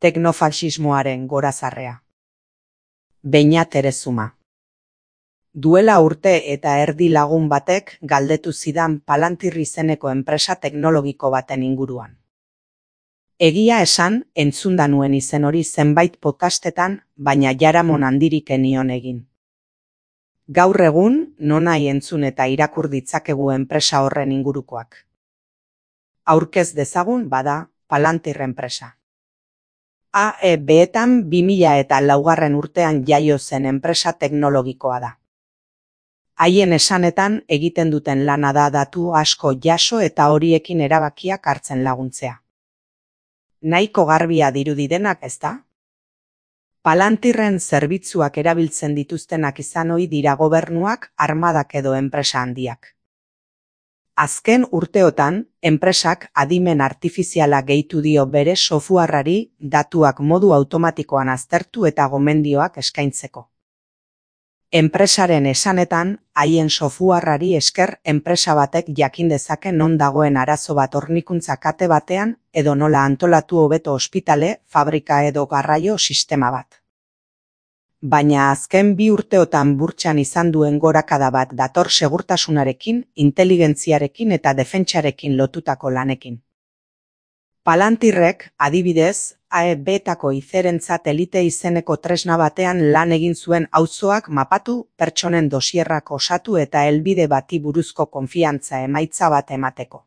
Teknofaxismoaren gorazarrea. Beñat Erezuma. Duela urte eta erdi lagun batek galdetu zidan Palantir izeneko enpresa teknologiko baten inguruan. Egia esan, entzunda nuen izen hori zenbait podcastetan, baina jaramon handirik enion egin. Gaur egun, nonahi entzun eta irakur ditzakegu enpresa horren ingurukoak. Aurkez dezagun bada, Palantir enpresa. AEB-etan 2004 urtean jaio zen enpresa teknologikoa da. Haien esanetan egiten duten lana da datu asko jaso eta horiekin erabakiak hartzen laguntzea. Nahiko garbia dirudi denak, ezta? Palantirren zerbitzuak erabiltzen dituztenak izan ohi dira gobernuak, armadak edo enpresa handiak. Azken urteotan, enpresak adimen artifiziala gehitu dio bere softwareari datuak modu automatikoan aztertu eta gomendioak eskaintzeko. Enpresaren esanetan, haien softwareari esker enpresa batek jakin dezake non dagoen arazo bat hornikuntza kate batean edo nola antolatu hobeto ospitale, fabrika edo garraio sistema bat. Baina azken 2 urteotan burtsan izan duen gorakada bat dator segurtasunarekin, inteligentziarekin eta defentsarekin lotutako lanekin. Palantirrek, adibidez, AEB-etako izerentzat elite izeneko tresna batean lan egin zuen auzoak mapatu, pertsonen dosierrak osatu eta helbide bati buruzko konfiantza emaitza bat emateko.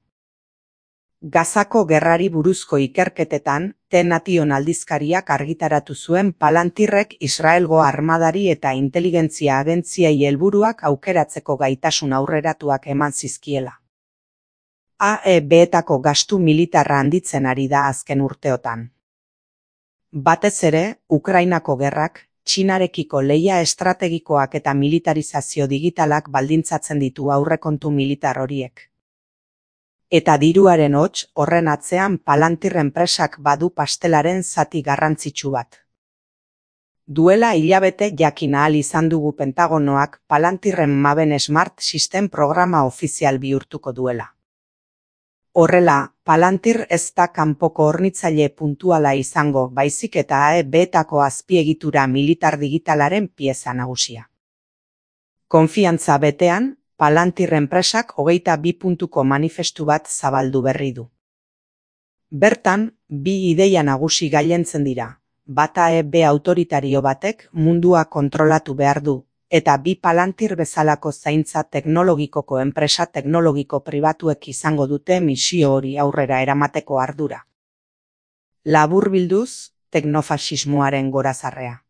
Gazako gerrari buruzko ikerketetan, T-Nation aldizkariak argitaratu zuen Palantirrek Israelgo armadari eta inteligentzia agentziei helburuak aukeratzeko gaitasun aurreratuak eman zizkiela. AEB-etako gastu militarra handitzen ari da azken urteotan. Batez ere, Ukrainako gerrak, Txinarekiko lehia estrategikoak eta militarizazio digitalak baldintzatzen ditu aurrekontu militar horiek. Eta diruaren hots, horren atzean Palantir enpresak badu pastelaren zati garrantzitsu bat. Duela hilabete jakin ahal izan dugu Pentagonoak Palantirren Maven Smart System programa ofizial bihurtuko duela. Horrela, Palantir ez da kanpoko hornitzaile puntuala izango, baizik eta AEB-etako azpiegitura militar digitalaren pieza nagusia. Konfiantza betean, Palantir enpresak 22 puntuko manifestu bat zabaldu berri du. Bertan, 2 ideia nagusi gailentzen dira, bat AEB autoritario batek mundua kontrolatu behar du, eta 2 Palantir bezalako zaintza teknologikoko enpresa teknologiko pribatuek izango dute misio hori aurrera eramateko ardura. Laburbilduz, teknofaxismoaren gorazarrea.